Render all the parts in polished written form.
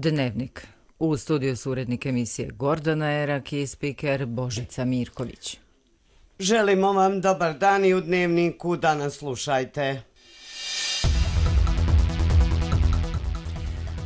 Dnevnik. U studiju su urednik emisije Gordana Erak i spiker Božica Mirković. Želimo vam dobar dan i u Dnevniku danas slušajte.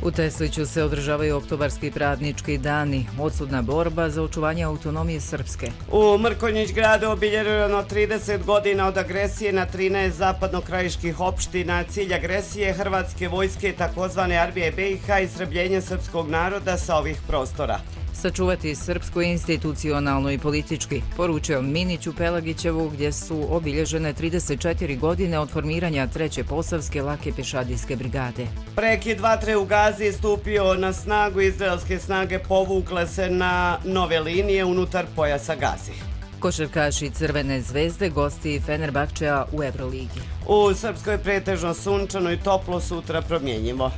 U Tesliću se održavaju oktobarski praznički dani, odsudna borba za očuvanje autonomije Srpske. U Mrkonjić gradu obilježeno 30 godina od agresije na 13 zapadnokrajiških opština. Cilj agresije hrvatske vojske takozvane armije BiH i istrebljenje srpskog naroda sa ovih prostora. Sačuvati srpsku institucionalno i politički, poručio Minić u Pelagićevu, gdje su obilježene 34 godine od formiranja 3. Posavske lake pješadijske brigade. Prekid vatre u Gazi stupio na snagu, izraelske snage povukle se na nove linije unutar pojasa Gazi. Košarkaši Crvene zvezde gosti Fenerbahčea u Euroligi. U Srpskoj pretežno sunčano i toplo, sutra promjenjivo.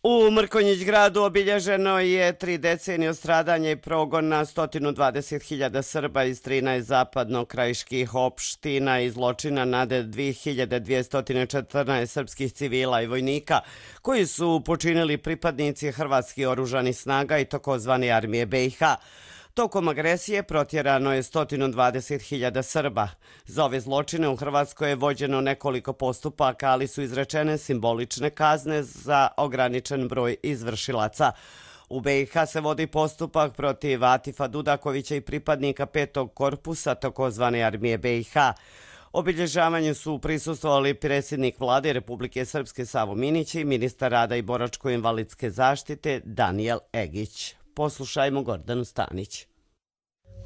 U Mrkonjić gradu obilježeno je 3 decenije od stradanja i progona 120.000 Srba iz 13 zapadnokrajiških opština i zločina nad 2214 srpskih civila i vojnika koji su počinili pripadnici hrvatskih oružanih snaga i takozvane armije BiH. Tokom agresije protjerano je 120.000 Srba. Za ove zločine u Hrvatskoj je vođeno nekoliko postupaka, ali su izrečene simbolične kazne za ograničen broj izvršilaca. U BiH se vodi postupak protiv Atifa Dudakovića i pripadnika 5. korpusa takozvane armije BiH. Obilježavanju su prisustvovali predsjednik Vlade Republike Srpske Savo Minić i ministar rada i boračko-invalidske zaštite Danijel Egić. Poslušajmo Gordanu Stanić.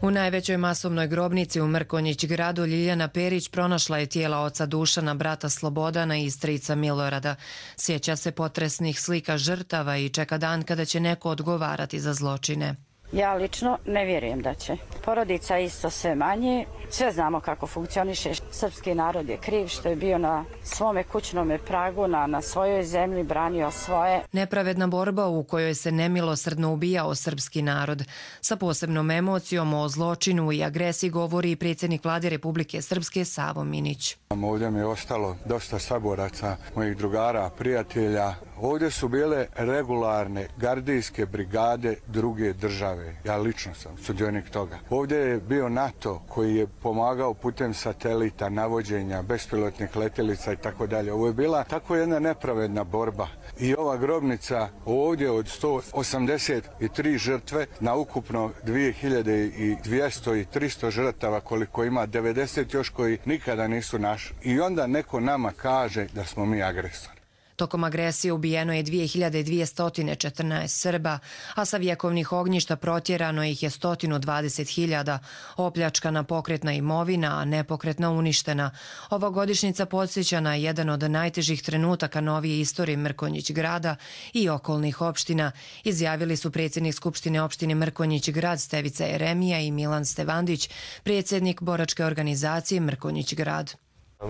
U najvećoj masovnoj grobnici u Mrkonjić gradu Ljiljana Perić pronašla je tijela oca Dušana, brata Slobodana i strica Milorada. Sjeća se potresnih slika žrtava i čeka dan kada će neko odgovarati za zločine. Ja lično ne vjerujem da će. Porodica isto sve manje. Sve znamo kako funkcioniše. Srpski narod je kriv što je bio na svome kućnome pragu, na svojoj zemlji, branio svoje. Nepravedna borba u kojoj se nemilosrdno ubijao srpski narod. Sa posebnom emocijom o zločinu i agresiji govori i predsjednik Vlade Republike Srpske Savo Minić. Ovdje mi je ostalo dosta saboraca, mojih drugara, prijatelja. Ovdje su bile regularne gardijske brigade druge države. Ja lično sam sudionik toga. Ovdje je bio NATO koji je pomagao putem satelita, navođenja, bespilotnih letjelica i tako dalje. Ovo je bila tako jedna nepravedna borba. I ova grobnica ovdje od 183 žrtve na ukupno 2200 i 300 žrtava koliko ima, 90 još koji nikada nisu naši. I onda neko nama kaže da smo mi agresori. Tokom agresije ubijeno je 2214 Srba, a sa vjekovnih ognjišta protjerano ih je 120.000, opljačkana pokretna imovina, a nepokretna uništena. Ova godišnjica podsjeća na jedan od najtežih trenutaka novije istorije Mrkonjić grada i okolnih opština, izjavili su predsjednik Skupštine opštine Mrkonjić grad Stevica Jeremija i Milan Stevandić, predsjednik boračke organizacije Mrkonjić grad.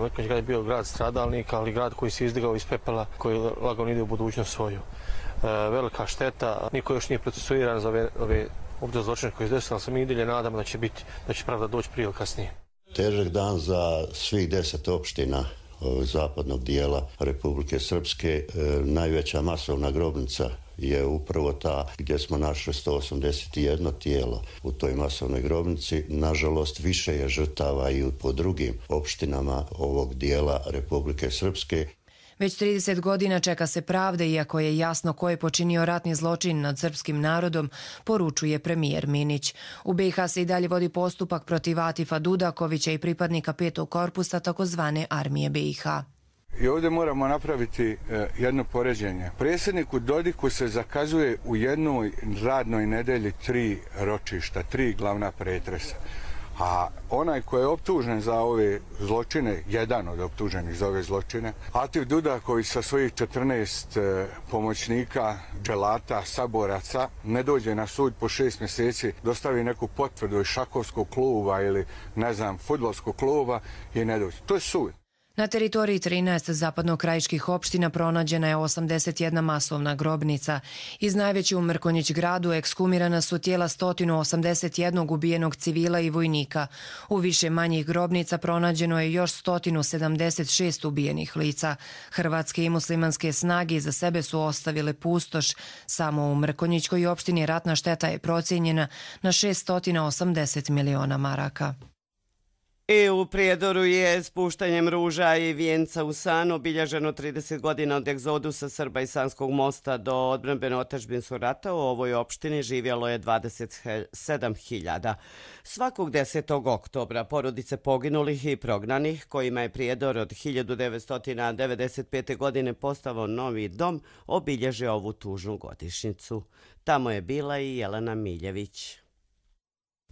Mrkonjić grad je bio grad stradalnika, ali grad koji se izdigao iz pepela, koji lagano ide u budućnost svoju. Velika šteta, niko još nije procesuiran za ove zločine koje se desilo, ali se mi i dalje nadamo da će pravda doći prije ili kasnije. Težak dan za svih 10 opština zapadnog dijela Republike Srpske. Najveća masovna grobnica je upravo ta gdje smo našli 181 tijelo u toj masovnoj grobnici. Nažalost, više je žrtava i po drugim opštinama ovog dijela Republike Srpske. Već 30 godina čeka se pravde, iako je jasno ko je počinio ratni zločin nad srpskim narodom, poručuje premijer Minić. U BiH se i dalje vodi postupak protiv Atifa Dudakovića i pripadnika 5. korpusa takozvane armije BiH. I ovdje moramo napraviti jedno poređenje. Predsjedniku Dodiku se zakazuje u jednoj radnoj nedelji 3 ročišta, 3 glavna pretresa. A onaj koji je optužen za ove zločine, jedan od optuženih za ove zločine, Atif Dudaković sa svojih 14 pomoćnika, dželata, saboraca, ne dođe na sud po 6 mjeseci, dostavi neku potvrdu iz šahovskog kluba ili, ne znam, fudbalskog kluba i ne dođe. To je sud. Na teritoriji 13 zapadnokrajiških opština pronađena je 81 masovna grobnica. Iz najveće u Mrkonjić gradu ekshumirana su tijela 181 ubijenog civila i vojnika. U više manjih grobnica pronađeno je još 176 ubijenih lica. Hrvatske i muslimanske snage iza sebe su ostavile pustoš. Samo u Mrkonjićkoj opštini ratna šteta je procijenjena na 680 miliona maraka. I u Prijedoru je spuštanjem ruža i vijenca u san obilježeno 30 godina od egzodusa Srba iz Sanskog mosta do odbrambeno-otadžbinskog rata. U ovoj opštini živjelo je 27.000. Svakog 10. oktobra porodice poginulih i prognanih, kojima je Prijedor od 1995. godine postao novi dom, obilježe ovu tužnu godišnjicu. Tamo je bila i Jelena Miljević.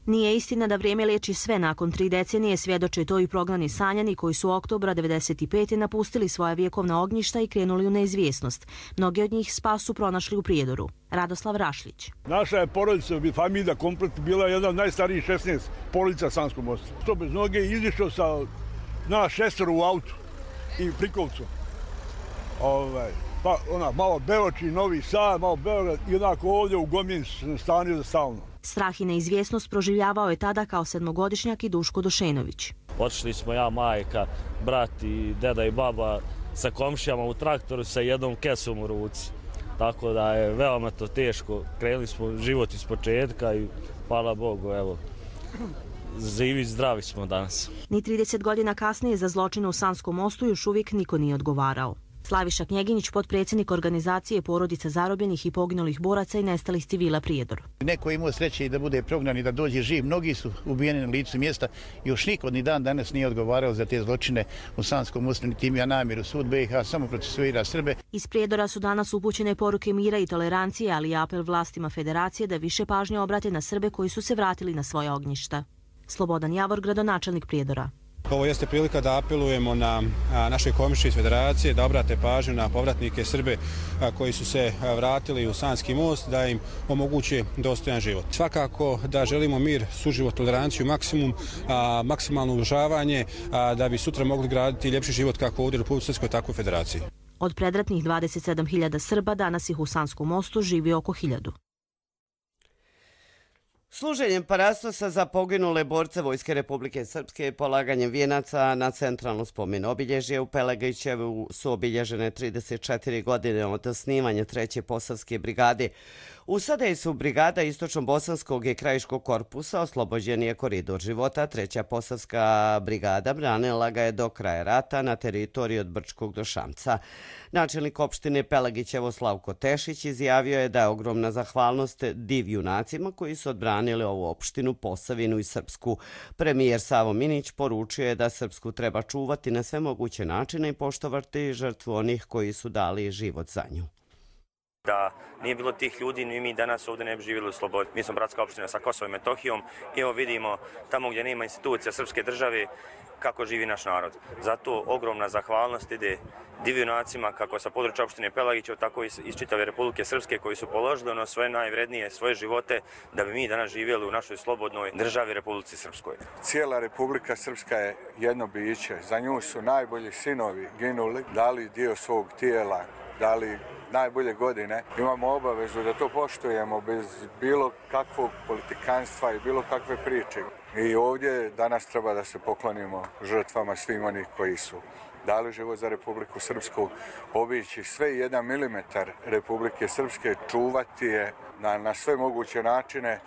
Nije istina da vrijeme liječi sve. Nakon 3 decenije svjedoče to i prognani Sanjani koji su oktobra 1995. napustili svoja vjekovna ognjišta i krenuli u neizvjesnost. Mnogi od njih spas su pronašli u Prijedoru. Radoslav Rašlić. Naša je porodica, familija komplet, bila jedna od najstarijih 16 porodica Sanskog mosta. To bez noge izišao sa nas 6 u autu i Plikovcu. Pa malo Beoči, Novi Sad, malo Beograd i onako ovdje u Gomin stanio za stalno. Strah i neizvjesnost proživljavao je tada kao 7-godišnjak i Duško Došenović. Otišli smo ja, majka, brat i deda i baba sa komšijama u traktoru sa jednom kesom u ruci. Tako da je veoma to teško. Krenuli smo život iz početka i hvala Bogu, evo, živi zdravi smo danas. Ni 30 godina kasnije za zločine u Sanskom mostu još uvijek niko nije odgovarao. Slaviša Knjeginjić, potpredsjednik organizacije porodica zarobljenih i poginulih boraca i nestalih civila Prijedor. Neko je imao sreće i da bude prognan i da dođe živ. Mnogi su ubijeni na licu mjesta. Još niko ni dan danas nije odgovarao za te zločine u Sanskom mostu, niti ima namjeru. Sud BiH samo procesuira Srbe. Iz Prijedora su danas upućene poruke mira i tolerancije, ali i apel vlastima federacije da više pažnje obrate na Srbe koji su se vratili na svoja ognjišta. Slobodan Javor, gradonačelnik Prijedora. Ovo jeste prilika da apelujemo na naše komšije iz federacije da obrate pažnju na povratnike Srbe koji su se vratili u Sanski most, da im omoguće dostojan život. Svakako da želimo mir, suživot, toleranciju, maksimalno uvažavanje da bi sutra mogli graditi ljepši život kako ovdje u Republici Srpskoj, tako i u federaciji. Od predratnih 27.000 Srba danas ih u Sanskom mostu živi oko 1.000. Služenjem parastosa za poginule borce Vojske Republike Srpske i polaganjem vijenaca na centralno spomen obilježje u Pelagićevu su obilježene 34 godine od osnivanja 3. Posavske brigade. U sadejstvu brigada Istočno-Bosanskog i Krajiškog korpusa oslobođen je koridor života. 3. Posavska brigada branila ga je do kraja rata na teritoriji od Brčkog do Šamca. Načelnik opštine Pelagićevo Slavko Tešić izjavio je da je ogromna zahvalnost div junacima koji su odbranili ovu opštinu, Posavinu i Srpsku. Premijer Savo Minić poručio je da Srpsku treba čuvati na sve moguće načine i poštovati žrtvu onih koji su dali život za nju. Da nije bilo tih ljudi, ni mi danas ovdje ne bi živjeli u slobodi. Mi smo bratska opština sa Kosovom i Metohijom i evo vidimo tamo gdje nema institucija srpske države kako živi naš narod. Zato ogromna zahvalnost ide divjunacima kako sa područja opštine Pelagićevo, tako i iz čitave Republike Srpske koji su položili ono svoje najvrednije, svoje živote da bi mi danas živjeli u našoj slobodnoj državi Republici Srpskoj. Cijela Republika Srpska je jedno biće. Za nju su najbolji sinovi ginuli, dali dio svog tijela, dali najbolje godine. Imamo obavezu da to poštujemo bez bilo kakvog politikanstva i bilo kakve priče. I ovdje danas treba da se poklonimo žrtvama svim onih koji su dali život za Republiku Srpsku, obići sve 1 milimetar Republike Srpske, čuvati je na sve moguće načine.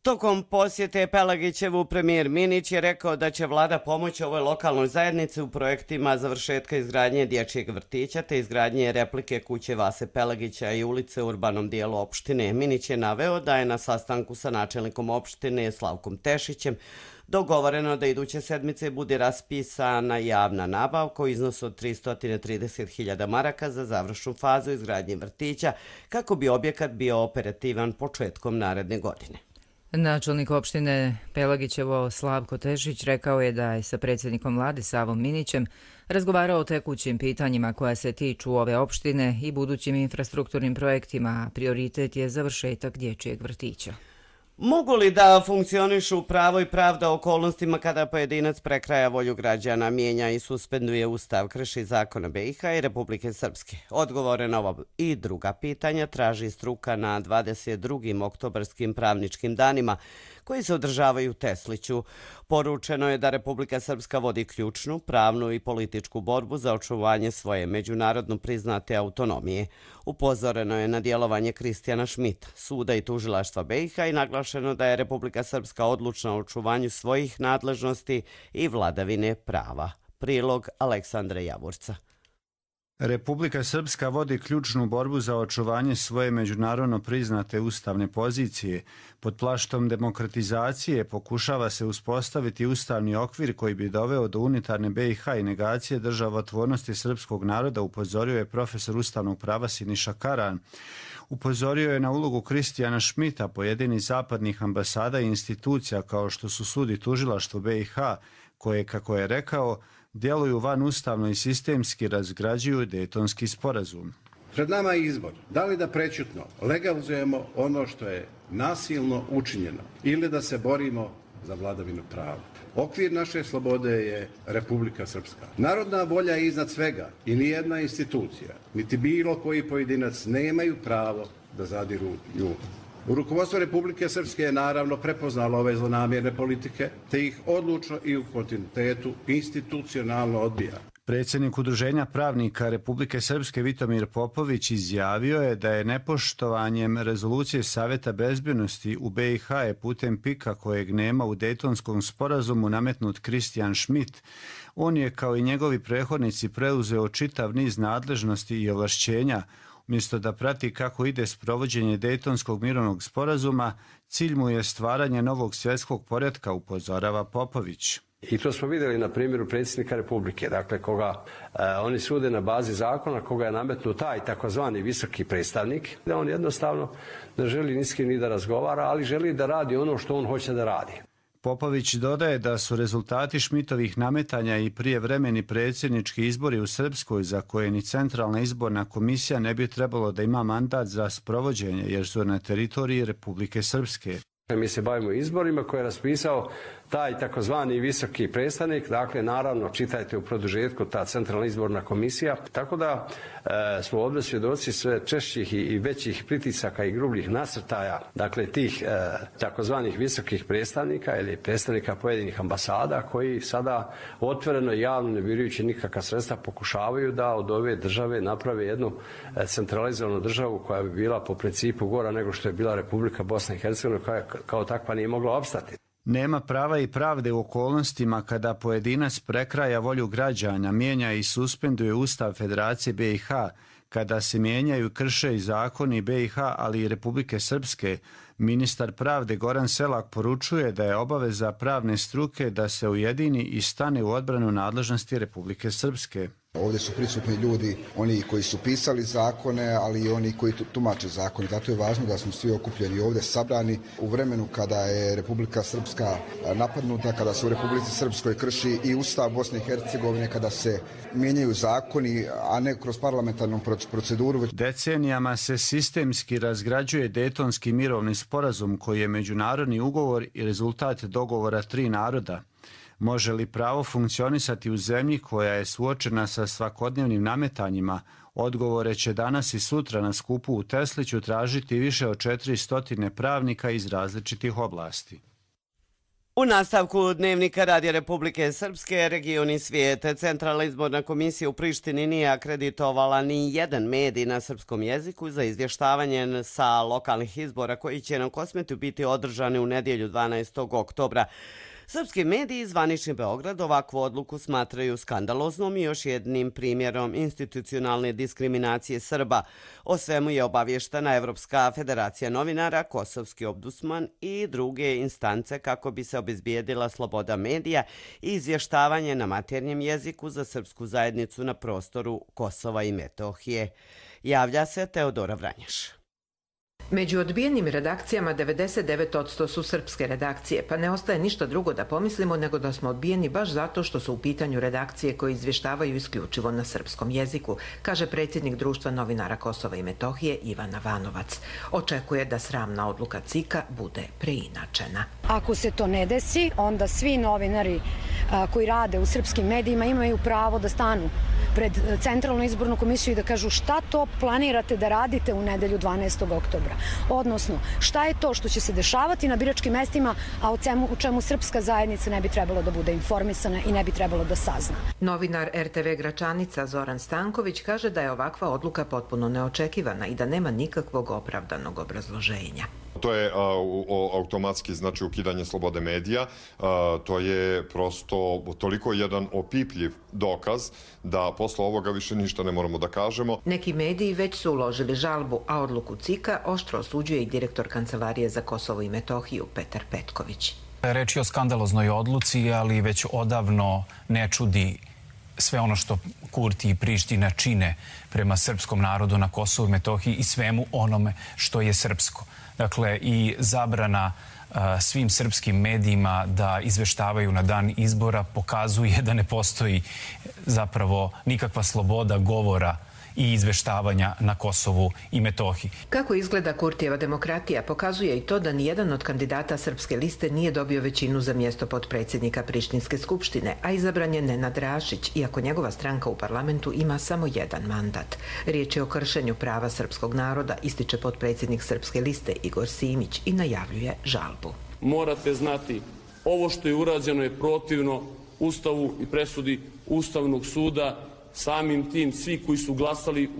Tokom posjete Pelagićevu premijer Minić je rekao da će vlada pomoći ovoj lokalnoj zajednici u projektima završetka izgradnje dječjeg vrtića te izgradnje replike kuće Vase Pelagića i ulice u urbanom dijelu opštine. Minić je naveo da je na sastanku sa načelnikom opštine Slavkom Tešićem dogovoreno da iduće sedmice bude raspisana javna nabavka u iznosu od 330.000 maraka za završnu fazu izgradnje vrtića kako bi objekat bio operativan početkom naredne godine. Načelnik opštine Pelagićevo Slavko Tešić rekao je da je sa predsjednikom vlade Savom Minićem razgovarao o tekućim pitanjima koja se tiču ove opštine i budućim infrastrukturnim projektima, a prioritet je završetak dječjeg vrtića. Mogu li da funkcionišu pravo i pravda okolnostima kada pojedinac prekraja volju građana, mijenja i suspenduje ustav, krši zakon BiH i Republike Srpske? Odgovore na ovo i druga pitanja traži struka na 22. oktobarskim pravničkim danima koji se održavaju u Tesliću. Poručeno je da Republika Srpska vodi ključnu, pravnu i političku borbu za očuvanje svoje međunarodno priznate autonomije. Upozoreno je na djelovanje Kristijana Šmita, suda i tužilaštva BiH i naglašeno da je Republika Srpska odlučna u očuvanju svojih nadležnosti i vladavine prava. Prilog Aleksandra Javorca. Republika Srpska vodi ključnu borbu za očuvanje svoje međunarodno priznate ustavne pozicije. Pod plaštom demokratizacije pokušava se uspostaviti ustavni okvir koji bi doveo do unitarne BiH i negacije državotvornosti srpskog naroda, upozorio je profesor ustavnog prava Siniša Karan. Upozorio je na ulogu Kristijana Šmita, pojedinih zapadnih ambasada i institucija kao što su sud i tužilaštvo BiH, koje, kako je rekao, djeluju van ustavno i sistemski razgrađuju Dejtonski sporazum. Pred nama je izbor. Da li da prećutno legalizujemo ono što je nasilno učinjeno ili da se borimo za vladavinu prava. Okvir naše slobode je Republika Srpska. Narodna volja je iznad svega i nijedna institucija, niti bilo koji pojedinac nemaju pravo da zadiru nju. U rukovodstvo Republike Srpske je naravno prepoznalo ove zlonamjerne politike, te ih odlučno i u kontinuitetu institucionalno odbija. Predsjednik Udruženja pravnika Republike Srpske Vitomir Popović izjavio je da je nepoštovanjem rezolucije Savjeta bezbjednosti u BiH putem PIK-a kojeg nema u Dejtonskom sporazumu nametnut Kristijan Šmit. On je kao i njegovi prethodnici preuzeo čitav niz nadležnosti i ovlašćenja. Umjesto da prati kako ide sprovođenje Dejtonskog mirovnog sporazuma, cilj mu je stvaranje novog svjetskog poretka, upozorava Popović. I to smo vidjeli na primjeru predsjednika Republike, dakle koga oni sude na bazi zakona, koga je nametnuo taj takozvani visoki predstavnik, da on jednostavno ne želi ni s kim ni da razgovara, ali želi da radi ono što on hoće da radi. Popović dodaje da su rezultati Šmitovih nametanja i prijevremeni predsjednički izbori u Srpskoj za koje ni Centralna izborna komisija ne bi trebalo da ima mandat za sprovođenje jer su na teritoriji Republike Srpske. Mi se bavimo izborima koje je raspisao taj takozvani visoki predstavnik, dakle naravno čitajte u produžetku ta Centralna izborna komisija, tako da smo ovdje svjedoci sve češćih i većih pritisaka i grubljih nasrtaja, dakle tih takozvanih visokih predstavnika ili predstavnika pojedinih ambasada koji sada otvoreno i javno ne birujući nikakva sredstva pokušavaju da od ove države naprave jednu centralizovanu državu koja bi bila po principu gora nego što je bila Republika Bosna i Hercegovina koja kao takva nije mogla opstati. Nema prava i pravde u okolnostima kada pojedinac prekraja volju građana, mijenja i suspenduje Ustav Federacije BiH, kada se mijenjaju i krše i zakoni BiH, ali i Republike Srpske. Ministar pravde Goran Selak poručuje da je obaveza pravne struke da se ujedini i stane u odbranu nadležnosti Republike Srpske. Ovdje su prisutni ljudi, oni koji su pisali zakone, ali i oni koji tumače zakone. Zato je važno da smo svi okupljeni ovdje sabrani u vremenu kada je Republika Srpska napadnuta, kada se u Republici Srpskoj krši i Ustav Bosne i Hercegovine, kada se mijenjaju zakoni, a ne kroz parlamentarnu proceduru. Decenijama se sistemski razgrađuje Dejtonski mirovni sporazum koji je međunarodni ugovor i rezultat dogovora 3 naroda. Može li pravo funkcionisati u zemlji koja je suočena sa svakodnevnim nametanjima? Odgovore će danas i sutra na skupu u Tesliću tražiti više od 400 pravnika iz različitih oblasti. U nastavku dnevnika Radija Republike Srpske, region i svijete, Centralna izborna komisija u Prištini nije akreditovala ni jedan medij na srpskom jeziku za izvještavanje sa lokalnih izbora koji će na Kosmetu biti održani u nedjelju 12. oktobra. Srpski mediji zvanični Beograd ovakvu odluku smatraju skandaloznom i još jednim primjerom institucionalne diskriminacije Srba. O svemu je obavještena Evropska federacija novinara, Kosovski ombudsman i druge instance kako bi se obezbijedila sloboda medija i izvještavanje na maternjem jeziku za srpsku zajednicu na prostoru Kosova i Metohije. Javlja se Teodora Vranjaš. Među odbijenim redakcijama 99% su srpske redakcije, pa ne ostaje ništa drugo da pomislimo nego da smo odbijeni baš zato što su u pitanju redakcije koje izvještavaju isključivo na srpskom jeziku, kaže predsjednik Društva novinara Kosova i Metohije Ivana Vanovac. Očekuje da sramna odluka CIK-a bude preinačena. Ako se to ne desi, onda svi novinari koji rade u srpskim medijima imaju pravo da stanu pred Centralnu izbornu komisiju i da kažu šta to planirate da radite u nedelju 12. oktobra. Odnosno, šta je to što će se dešavati na biračkim mestima, a o čemu srpska zajednica ne bi trebalo da bude informisana i ne bi trebalo da sazna. Novinar RTV Gračanica Zoran Stanković kaže da je ovakva odluka potpuno neočekivana i da nema nikakvog opravdanog obrazloženja. To je automatski znači ukidanje slobode medija, to je prosto toliko jedan opipljiv dokaz da posle ovoga više ništa ne moramo da kažemo. Neki mediji već su uložili žalbu, a odluku CIK-a oštro osuđuje i direktor Kancelarije za Kosovo i Metohiju Petar Petković. Reč je o skandaloznoj odluci, ali već odavno ne čudi sve ono što Kurti i Priština čine prema srpskom narodu na Kosovu i Metohiji i svemu onome što je srpsko. Dakle, i zabrana svim srpskim medijima da izveštavaju na dan izbora pokazuje da ne postoji zapravo nikakva sloboda govora i izveštavanja na Kosovu i Metohiji. Kako izgleda Kurtijeva demokratija pokazuje i to da nijedan od kandidata Srpske liste nije dobio većinu za mjesto potpredsjednika Prištinske skupštine, a izabran je Nenad Rašić, iako njegova stranka u parlamentu ima samo jedan mandat. Riječ je o kršenju prava srpskog naroda, ističe potpredsjednik Srpske liste Igor Simić i najavljuje žalbu. Morate znati, ovo što je urađeno je protivno Ustavu i presudi Ustavnog suda. Samim tim svi koji su glasali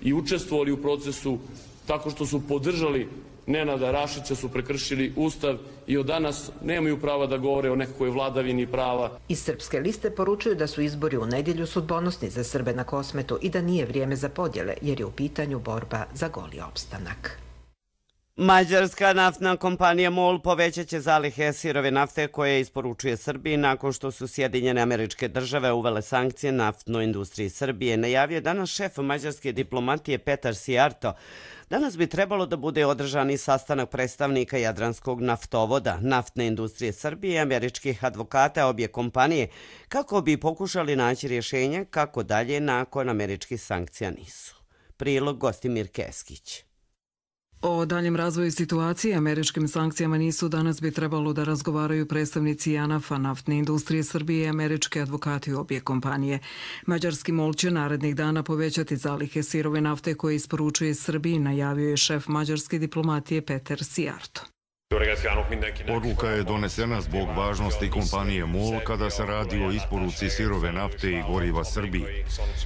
i učestvovali u procesu tako što su podržali Nenada Rašića su prekršili Ustav i od danas nemaju prava da govore o nekakvoj vladavini prava. Iz Srpske liste poručuju da su izbori u nedjelju sudbonosni za Srbe na Kosmetu i da nije vrijeme za podjele jer je u pitanju borba za goli opstanak. Mađarska naftna kompanija MOL povećat će zalihe sirove nafte koje isporučuje Srbiji nakon što su Sjedinjene Američke Države uvele sankcije naftnoj industriji Srbije. Najavio je danas šef mađarske diplomatije Petar Sijarto. Danas bi trebalo da bude održan i sastanak predstavnika Jadranskog naftovoda, naftne industrije Srbije i američkih advokata obje kompanije kako bi pokušali naći rješenje kako dalje nakon američkih sankcija nisu. Prilog Gostimir Keskić. O daljem razvoju situacije američkim sankcijama nisu danas bi trebalo da razgovaraju predstavnici JANAF-a, naftne industrije Srbije i američke advokati obje kompanije. Mađarski MOL će narednih dana povećati zalihe sirove nafte koje isporučuje Srbiji, najavio je šef mađarske diplomatije Petar Sijarto. Odluka je donesena zbog važnosti kompanije MOL kada se radi o isporuci sirove nafte i goriva Srbiji.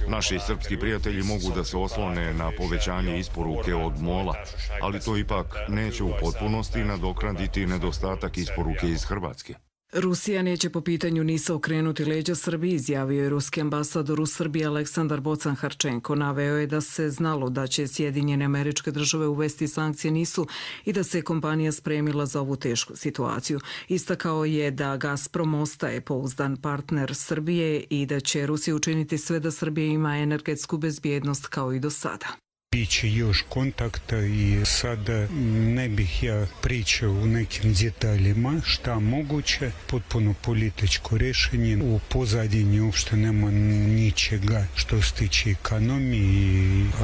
Naši srpski prijatelji mogu da se oslone na povećanje isporuke od MOL-a, ali to ipak neće u potpunosti nadoknaditi nedostatak isporuke iz Hrvatske. Rusija neće po pitanju NIS-a okrenuti leđa Srbiji, izjavio je ruski ambasador u Srbiji Aleksandar Bocan-Harčenko. Naveo je da se znalo da će Sjedinjene Američke Države uvesti sankcije NIS-u i da se kompanija spremila za ovu tešku situaciju. Istakao je da Gazprom ostaje pouzdan partner Srbije i da će Rusija učiniti sve da Srbija ima energetsku bezbjednost kao i do sada. Biće još kontakta i sada ne bih ja pričao u nekim detaljima šta moguće, potpuno političko rješenje. U pozadini uopšte nema ničega što se tiče ekonomije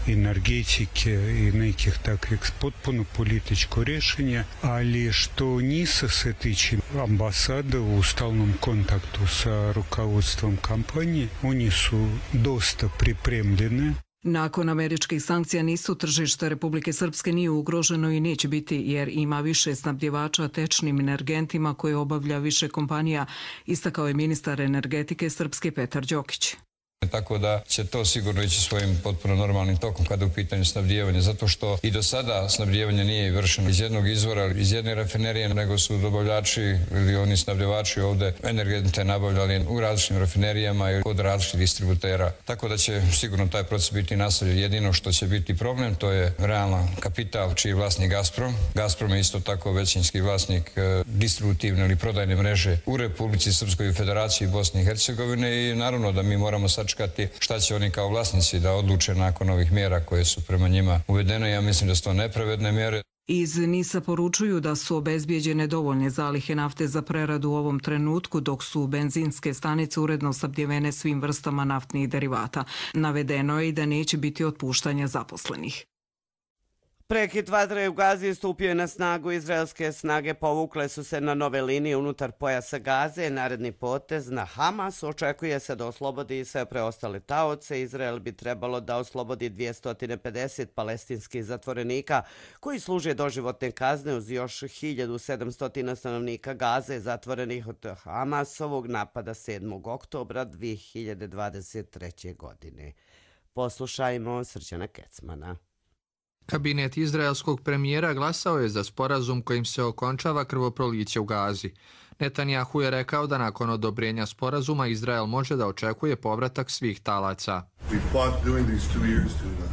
i energetike i nekih takvih, potpuno političko rješenje, ali što NIS-a se tiče ambasada u stalnom kontaktu sa rukovodstvom kampanije, oni su dosta pripremljene. Nakon američkih sankcija NIS-u tržište Republike Srpske nije ugroženo i neće biti jer ima više snabdjevača tečnim energentima koje obavlja više kompanija, istakao je ministar energetike Srpske Petar Đokić. Tako da će to sigurno ići svojim potpuno normalnim tokom kada je u pitanju snabdijevanje, zato što i do sada snabdijevanje nije vršeno iz jednog izvora, iz jedne rafinerije, nego su dobavljači ili oni snabdjevači ovdje energente nabavljali u različitim rafinerijama i kod različitih distributera. Tako da će sigurno taj proces biti nastavljen. Jedino što će biti problem, to je realan kapital čiji je vlasnik Gazprom. Gazprom je isto tako većinski vlasnik distributivne ili prodajne mreže u Republici Srpskoj i Federaciji Bosne i Hercegovine i naravno da mi moramo sad sačekati šta će oni kao vlasnici da odluče nakon ovih mjera koje su prema njima uvedene. Ja mislim da su to nepravedne mjere. Iz NIS-a poručuju da su obezbijeđene dovoljne zalihe nafte za preradu u ovom trenutku, dok su benzinske stanice uredno snabdjevene svim vrstama naftnih derivata. Navedeno je i da neće biti otpuštanja zaposlenih. Prekid vatre u Gazi stupio je na snagu. Izraelske snage povukle su se na nove linije unutar pojasa Gaze. Naredni potez na Hamas očekuje se da oslobodi sve preostale taoce. Izrael bi trebalo da oslobodi 250 palestinskih zatvorenika koji služe doživotne kazne uz još 1700 stanovnika Gaze zatvorenih od Hamasovog napada 7. oktobra 2023. godine. Poslušajmo Srđana Kecmana. Kabinet izraelskog premijera glasao je za sporazum kojim se okončava krvoproliće u Gazi. Netanjahu je rekao da nakon odobrenja sporazuma Izrael može da očekuje povratak svih talaca.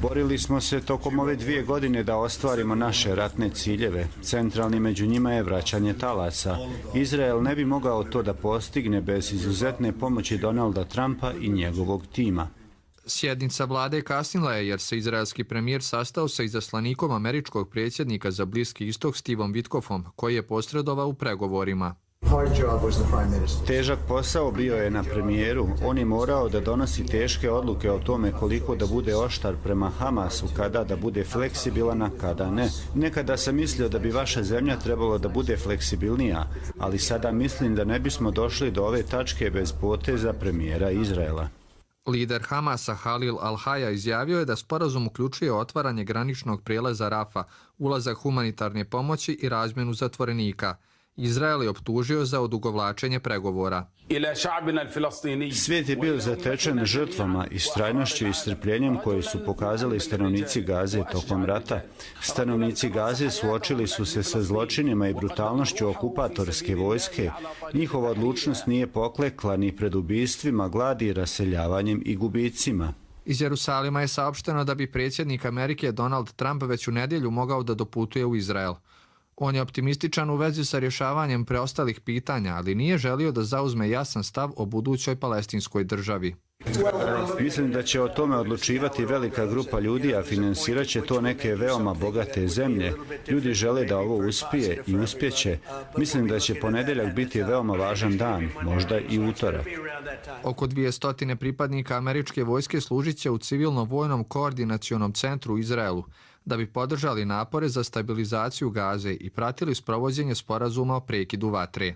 Borili smo se tokom ove 2 godine da ostvarimo naše ratne ciljeve. Centralni među njima je vraćanje talaca. Izrael ne bi mogao to da postigne bez izuzetne pomoći Donalda Trumpa i njegovog tima. Sjednica vlade kasnila je jer se izraelski premijer sastao sa izaslanikom američkog predsjednika za Bliski istok Stevom Witkoffom, koji je posredovao u pregovorima. Težak posao bio je na premijeru. On je morao da donosi teške odluke o tome koliko da bude oštar prema Hamasu, kada da bude fleksibilan, a kada ne. Nekada sam mislio da bi vaša zemlja trebalo da bude fleksibilnija, ali sada mislim da ne bismo došli do ove tačke bez poteza premijera Izraela. Lider Hamasa Halil al-Haja izjavio je da sporazum uključuje otvaranje graničnog prijelaza Rafa, ulazak humanitarne pomoći i razmjenu zatvorenika. Izrael je optužio za odugovlačenje pregovora. Svijet je bio zatečen žrtvama, istrajnošću i strpljenjem koje su pokazali stanovnici Gaze tokom rata. Stanovnici Gaze suočili su se sa zločinima i brutalnošću okupatorske vojske. Njihova odlučnost nije poklekla ni pred ubistvima, gladi, raseljavanjem i gubicima. Iz Jerusalima je saopšteno da bi predsjednik Amerike Donald Trump već u nedjelju mogao da doputuje u Izrael. On je optimističan u vezi sa rješavanjem preostalih pitanja, ali nije želio da zauzme jasan stav o budućoj palestinskoj državi. Mislim da će o tome odlučivati velika grupa ljudi, a finansirat će to neke veoma bogate zemlje. Ljudi žele da ovo uspije i uspjeće. Mislim da će ponedjeljak biti veoma važan dan, možda i utorak. Oko 200 pripadnika američke vojske služit će u civilno-vojnom koordinacionom centru u Izraelu, da bi podržali napore za stabilizaciju Gaze i pratili sprovođenje sporazuma o prekidu vatre.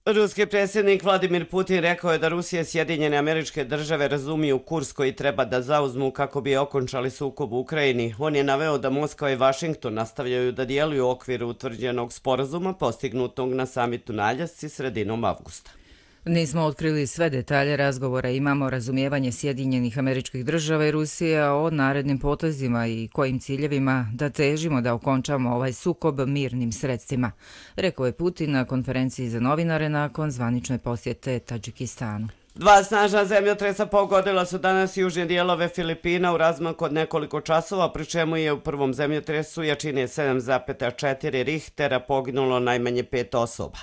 Ruski predsjednik Vladimir Putin rekao je da Rusija i Sjedinjene Američke Države razumiju kurs koji treba da zauzmu kako bi okončali sukob u Ukrajini. On je naveo da Moskva i Vašington nastavljaju da djeluju u okviru utvrđenog sporazuma postignutog na samitu na Aljasci sredinom avgusta. Nismo otkrili sve detalje razgovora, imamo razumijevanje Sjedinjenih Američkih Država i Rusije o narednim potezima i kojim ciljevima da težimo da okončamo ovaj sukob mirnim sredstvima, rekao je Putin na konferenciji za novinare nakon zvanične posjete Tadžikistanu. 2 snažna zemljotresa pogodila su danas južne dijelove Filipina u razmaku od nekoliko časova, pri čemu je u prvom zemljotresu jačine 7,4 Richtera poginulo najmanje 5 osoba.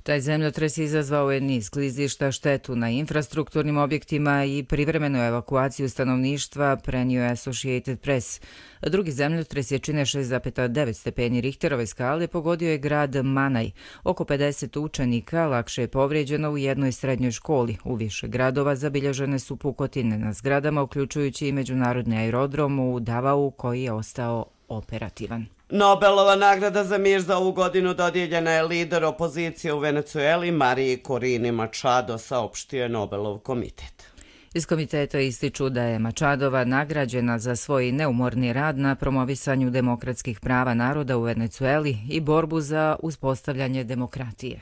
Taj zemljotres izazvao je niz klizišta, štetu na infrastrukturnim objektima i privremenu evakuaciju stanovništva, prenio je Associated Press. Drugi zemljotres jačine 6,9 stepeni Richterove skale pogodio je grad Manaj. Oko 50 učenika lakše je povrijeđeno u jednoj srednjoj školi. U više gradova zabilježene su pukotine na zgradama, uključujući i međunarodni aerodrom u Davao koji je ostao operativan. Nobelova nagrada za mir za ovu godinu dodijeljena je lider opozicije u Venecueli Mariji Korini Machado, saopštio je Nobelov komitet. Iz komiteta ističu da je Machadova nagrađena za svoj neumorni rad na promovisanju demokratskih prava naroda u Venecueli i borbu za uspostavljanje demokratije.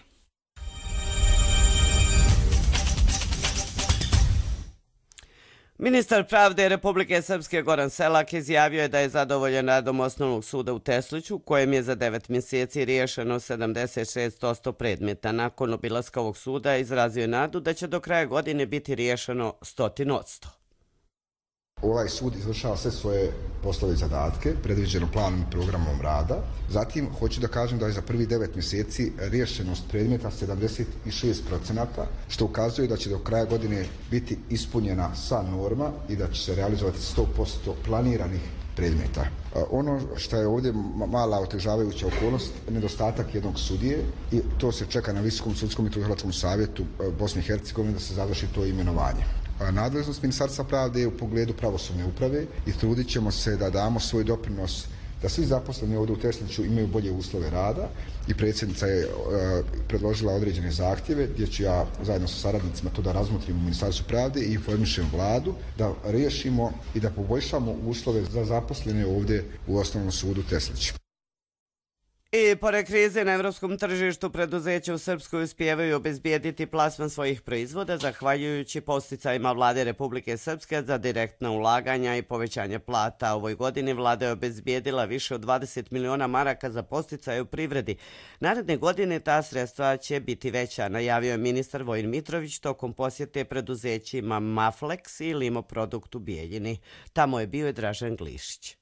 Ministar pravde Republike Srpske Goran Selak izjavio je da je zadovoljen radom Osnovnog suda u Tesliću, u kojem je za 9 mjeseci riješeno 76% predmeta. Nakon obilaska ovog suda izrazio je nadu da će do kraja godine biti riješeno 100%. Ovaj sud izvršava sve svoje poslove i zadatke, predviđeno planom i programom rada. Zatim, hoću da kažem da je za prvi 9 mjeseci riješenost predmeta 76%, što ukazuje da će do kraja godine biti ispunjena sva norma i da će se realizovati 100% planiranih predmeta. Ono što je ovdje mala otežavajuća okolnost, nedostatak jednog sudije, i to se čeka na Visokom sudskom i tužilačkom savjetu Bosne i Hercegovine da se završi to imenovanje. Nadležnost Ministarstva pravde je u pogledu pravosudne uprave i trudit ćemo se da damo svoj doprinos da svi zaposleni ovdje u Tesliću imaju bolje uslove rada i predsjednica je predložila određene zahtjeve gdje ću ja zajedno sa saradnicima to da razmotrim u Ministarstvu pravde i informišem vladu da riješimo i da poboljšamo uslove za zaposlene ovdje u Osnovnom sudu Teslić. I pored krize na evropskom tržištu, preduzeća u Srpskoj uspijevaju obezbijediti plasman svojih proizvoda zahvaljujući podsticajima vlade Republike Srpske za direktna ulaganja i povećanje plata. Ovoj godini vlada je obezbijedila više od 20 miliona maraka za podsticaje u privredi. Naredne godine ta sredstva će biti veća, najavio je ministar Vojin Mitrović tokom posjete preduzećima Maflex i Limoprodukt u Bijeljini. Tamo je bio i Dražen Glišić.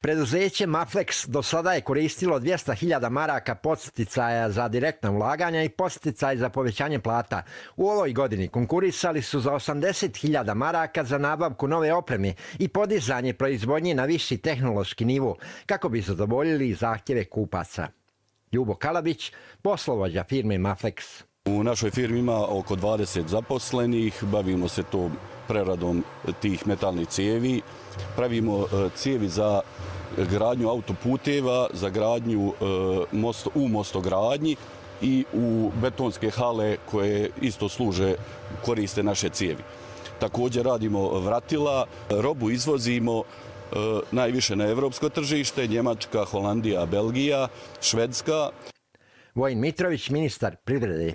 Preduzeće Maflex do sada je koristilo 200.000 maraka podsticaja za direktna ulaganja i podsticaj za povećanje plata. U ovoj godini konkurisali su za 80.000 maraka za nabavku nove opreme i podizanje proizvodnje na viši tehnološki nivo kako bi zadovoljili zahtjeve kupaca. Ljubo Kalabić, poslovođa firme Maflex. U našoj firmi ima oko 20 zaposlenih, bavimo se to preradom tih metalnih cijevi, pravimo cijevi za gradnju autoputeva, za gradnju u mostogradnji i u betonske hale koje isto služe, koriste naše cijevi. Također radimo vratila, robu izvozimo najviše na evropsko tržište, Njemačka, Holandija, Belgija, Švedska. Vojin Mitrović, ministar privrede.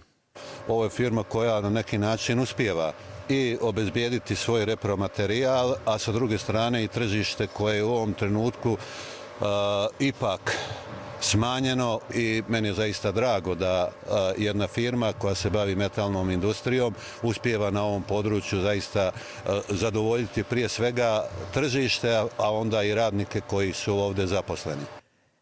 Ovo je firma koja na neki način uspijeva i obezbijediti svoj repromaterijal, a sa druge strane i tržište koje je u ovom trenutku ipak smanjeno i meni je zaista drago da jedna firma koja se bavi metalnom industrijom uspijeva na ovom području zaista zadovoljiti prije svega tržište, a onda i radnike koji su ovdje zaposleni.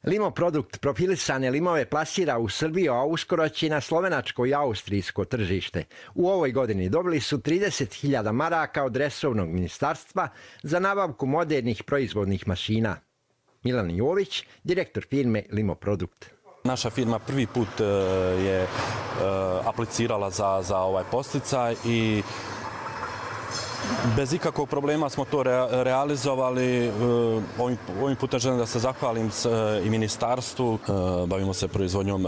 Limoprodukt profilisane limove plasira u Srbiju, a uskoro će na slovenačko i austrijsko tržište. U ovoj godini dobili su 30.000 maraka od resornog ministarstva za nabavku modernih proizvodnih mašina. Milan Jović, direktor firme Limoprodukt. Naša firma prvi put je aplicirala za ovaj podsticaj i bez ikakvog problema smo to realizovali. Ovim putem želim da se zahvalim i ministarstvu. Bavimo se proizvodnjom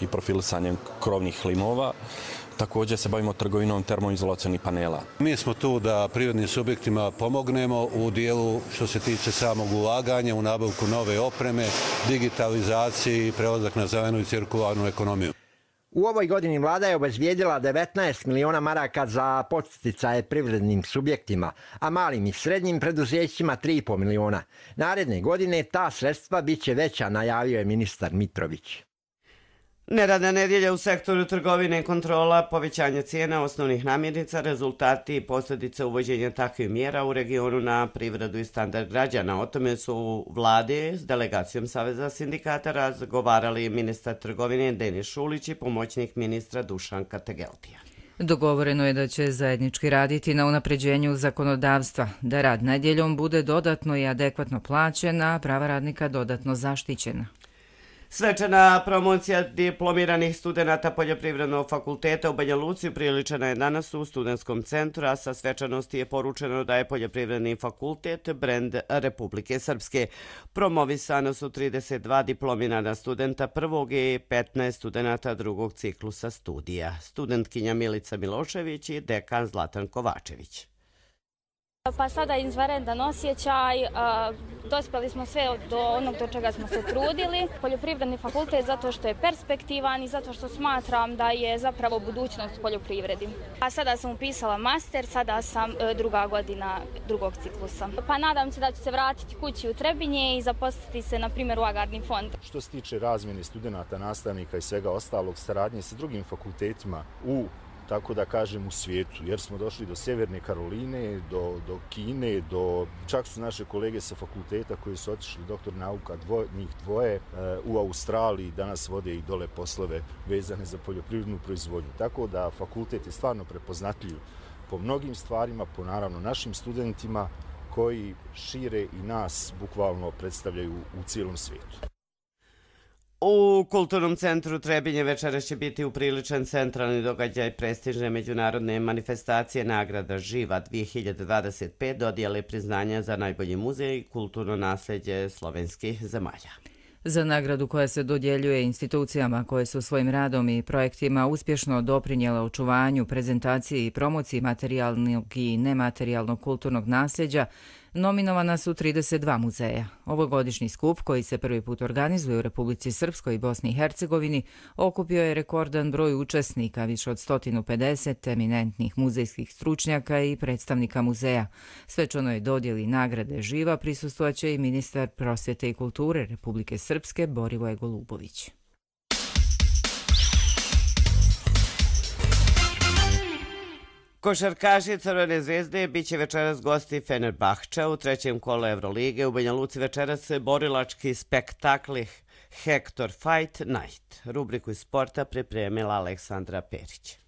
i profilisanjem krovnih limova. Također se bavimo trgovinom termoizolacionih panela. Mi smo tu da privrednim subjektima pomognemo u dijelu što se tiče samog ulaganja, u nabavku nove opreme, digitalizaciji i prelazak na zelenu i cirkularnu ekonomiju. U ovoj godini vlada je obezbijedila 19 miliona maraka za podsticaje privrednim subjektima, a malim i srednjim preduzećima 3,5 miliona. Naredne godine ta sredstva bit će veća, najavio je ministar Mitrović. Neradna nedjelja u sektoru trgovine i kontrola, povećanje cijena osnovnih namirnica, rezultati i posljedice uvođenja takvih mjera u regionu na privredu i standard građana. O tome su u vladi s delegacijom Saveza sindikata razgovarali ministar trgovine Denis Šulić i pomoćnik ministra Dušan Kategeltija. Dogovoreno je da će zajednički raditi na unapređenju zakonodavstva, da rad nedjeljom bude dodatno i adekvatno plaćen, a prava radnika dodatno zaštićena. Svečana promocija diplomiranih studenata Poljoprivrednog fakulteta u Banja Luci priličena je danas u studentskom centru, a sa svečanosti je poručeno da je Poljoprivredni fakultet brend Republike Srpske. Promovisano su 32 diplomirana studenta prvog i 15 studenata drugog ciklusa studija. Studentkinja Milica Milošević i dekan Zlatan Kovačević. Pa sada je izvanredan osjećaj, dospjeli smo sve do onog do čega smo se trudili. Poljoprivredni fakultet zato što je perspektivan i zato što smatram da je zapravo budućnost poljoprivredi. A sada sam upisala master, sada sam druga godina drugog ciklusa. Pa nadam se da ću se vratiti kući u Trebinje i zaposliti se na primjer u Agrarni fond. Što se tiče razmjene studenata, nastavnika i svega ostalog, saradnje sa drugim fakultetima u tako da kažem, u svijetu, jer smo došli do Sjeverne Karoline, do Kine, čak su naše kolege sa fakulteta koji su otišli, doktor nauka, njih dvoje, u Australiji danas vode i dole poslove vezane za poljoprivrednu proizvodnju. Tako da fakultet je stvarno prepoznatljiv po mnogim stvarima, po naravno našim studentima koji šire i nas bukvalno predstavljaju u cijelom svijetu. U Kulturnom centru Trebinje večeras će biti upriličen centralni događaj prestižne međunarodne manifestacije nagrada Živa 2025, dodijele priznanja za najbolji muzej i kulturno nasljeđe slovenskih zemalja. Za nagradu koja se dodjeljuje institucijama koje su svojim radom i projektima uspješno doprinijele očuvanju, prezentaciji i promociji materijalnog i nematerijalnog kulturnog nasljeđa, nominovana su 32 muzeja. Ovogodišnji skup, koji se prvi put organizuje u Republici Srpskoj i Bosni i Hercegovini, okupio je rekordan broj učesnika, više od 150 eminentnih muzejskih stručnjaka i predstavnika muzeja. Svečanoj dodjeli nagrade Živa prisustvojaće i ministar prosvjete i kulture Republike Srpske Borivoje Golubović. Košarkaši Crvene zvezde bit će večeras gosti Fenerbahča u trećem kolu Evrolige. U Banja Luci večeras se borilački spektakli Hector Fight Night. Rubriku iz sporta pripremila Aleksandra Perić.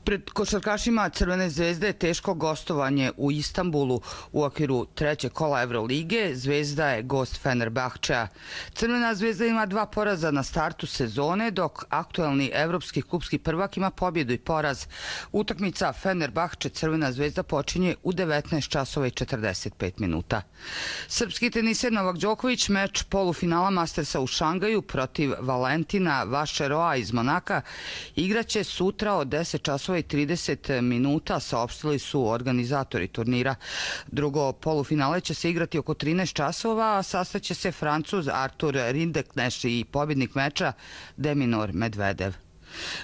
Pred košarkašima Crvene zvezde je teško gostovanje u Istanbulu u okviru trećeg kola Evrolige. Zvezda je gost Fenerbahča. Crvena zvezda ima 2 poraza na startu sezone, dok aktuelni evropski klupski prvak ima pobjedu i poraz. Utakmica Fenerbahče Crvena zvezda počinje u 19 časova i 45 minuta. Srpski teniser Novak Đoković meč polufinala Mastersa u Šangaju protiv Valentina Vašeroa iz Monaka igraće sutra od 10 časova i 30 minuta, saopštili su organizatori turnira. Drugo polufinale će se igrati oko 13 časova, a sastaće se Francuz Artur Rindekneš i pobjednik meča Deminor Medvedev.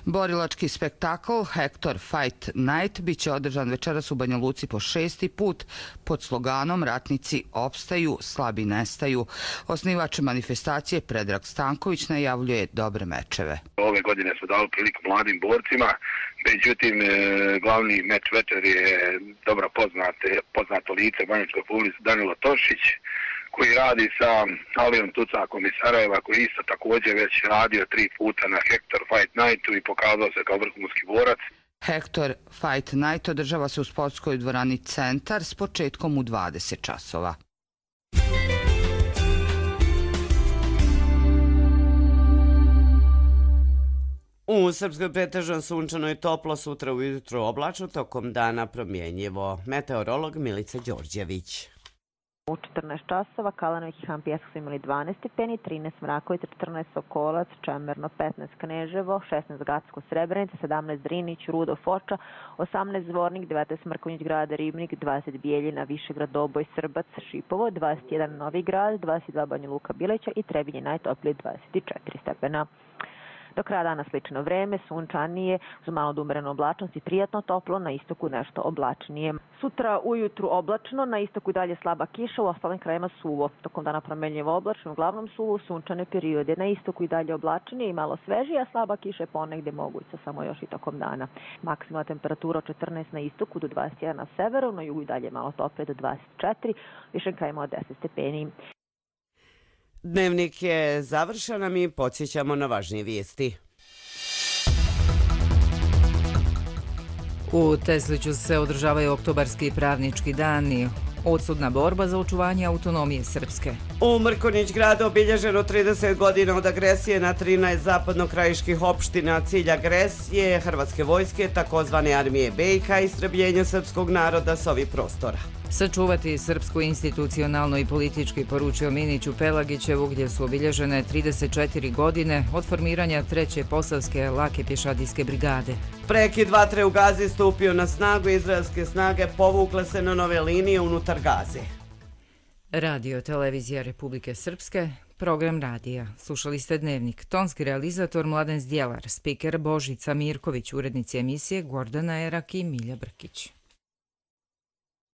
Borilački spektakl Hector Fight Night biće održan večeras u Banja Luci po 6. put pod sloganom Ratnici opstaju, slabi nestaju. Osnivač manifestacije Predrag Stanković najavljuje dobre mečeve. Ove godine su dali priliku mladim borcima, međutim glavni meč večer je dobro poznato lice banjačkog publike Danilo Tošić, koji radi sa Alijom Tucakom iz Sarajeva, koji isto također već radio 3 puta na Hector Fight Nightu i pokazao se kao vrhunski borac. Hector Fight Night održava se u sportskoj dvorani Centar s početkom u 20 časova. U Srpskoj pretežno sunčano i toplo, sutra ujutro oblačno, tokom dana promjenjivo. Meteorolog Milica Đorđević. U 14 časova Kalanović i Han Pjesak su imali 12 stepeni, 13 Mrakovica, 14 Sokolac, Čemerno, 15 Kneževo, 16 Gacko Srebrenica, 17 Drinić, Rudo Foča, 18 Zvornik, 19 Mrkonjić Grada Ribnik, 20 Bijeljina, Višegrad, Doboj, Srbac, Šipovo, 21 Novi Grad, 22 Banja Luka Bileća i Trebinje najtoplije 24 stepena. Do kraja dana slično vreme, sunčanije, uz malo umerenu oblačnost i prijatno toplo, na istoku nešto oblačnije. Sutra ujutru oblačno, na istoku dalje slaba kiša, u ostalim krajima suvo. Tokom dana promenljivo oblačno, uglavnom suvo, sunčane periode. Na istoku i dalje oblačnije i malo svežije, a slaba kiša je ponegdje moguća, samo još i tokom dana. Maksimalna temperatura od 14 na istoku do 21 na severu, na jugu i dalje malo toplije do 24, višim krajima od 10 stepeni. Dnevnik je završen, a mi podsjećamo na važnije vijesti. U Tesliću se održavaju oktobarski pravnički dani, odsudna borba za očuvanje autonomije Srpske. U Mrkonjić gradu obilježeno 30 godina od agresije na 13 zapadnokrajiških opština. Cilj agresije Hrvatske vojske, takozvane armije BiH, istrebljenje srpskog naroda s ovih prostora. Sačuvati srpsku institucionalno i politički, poručio Miniću Pelagićevu, gdje su obilježene 34 godine od formiranja 3. Posavske lake pješadijske brigade. Prekid vatre u Gazi stupio na snagu, izraelske snage povukle se na nove linije unutar Gaze. Radio Televizija Republike Srpske, program radija. Slušali ste Dnevnik. Tonski realizator Mladen Zdjelar, spiker Božica Mirković, urednici emisije Gordana Erak i Milja Brkić.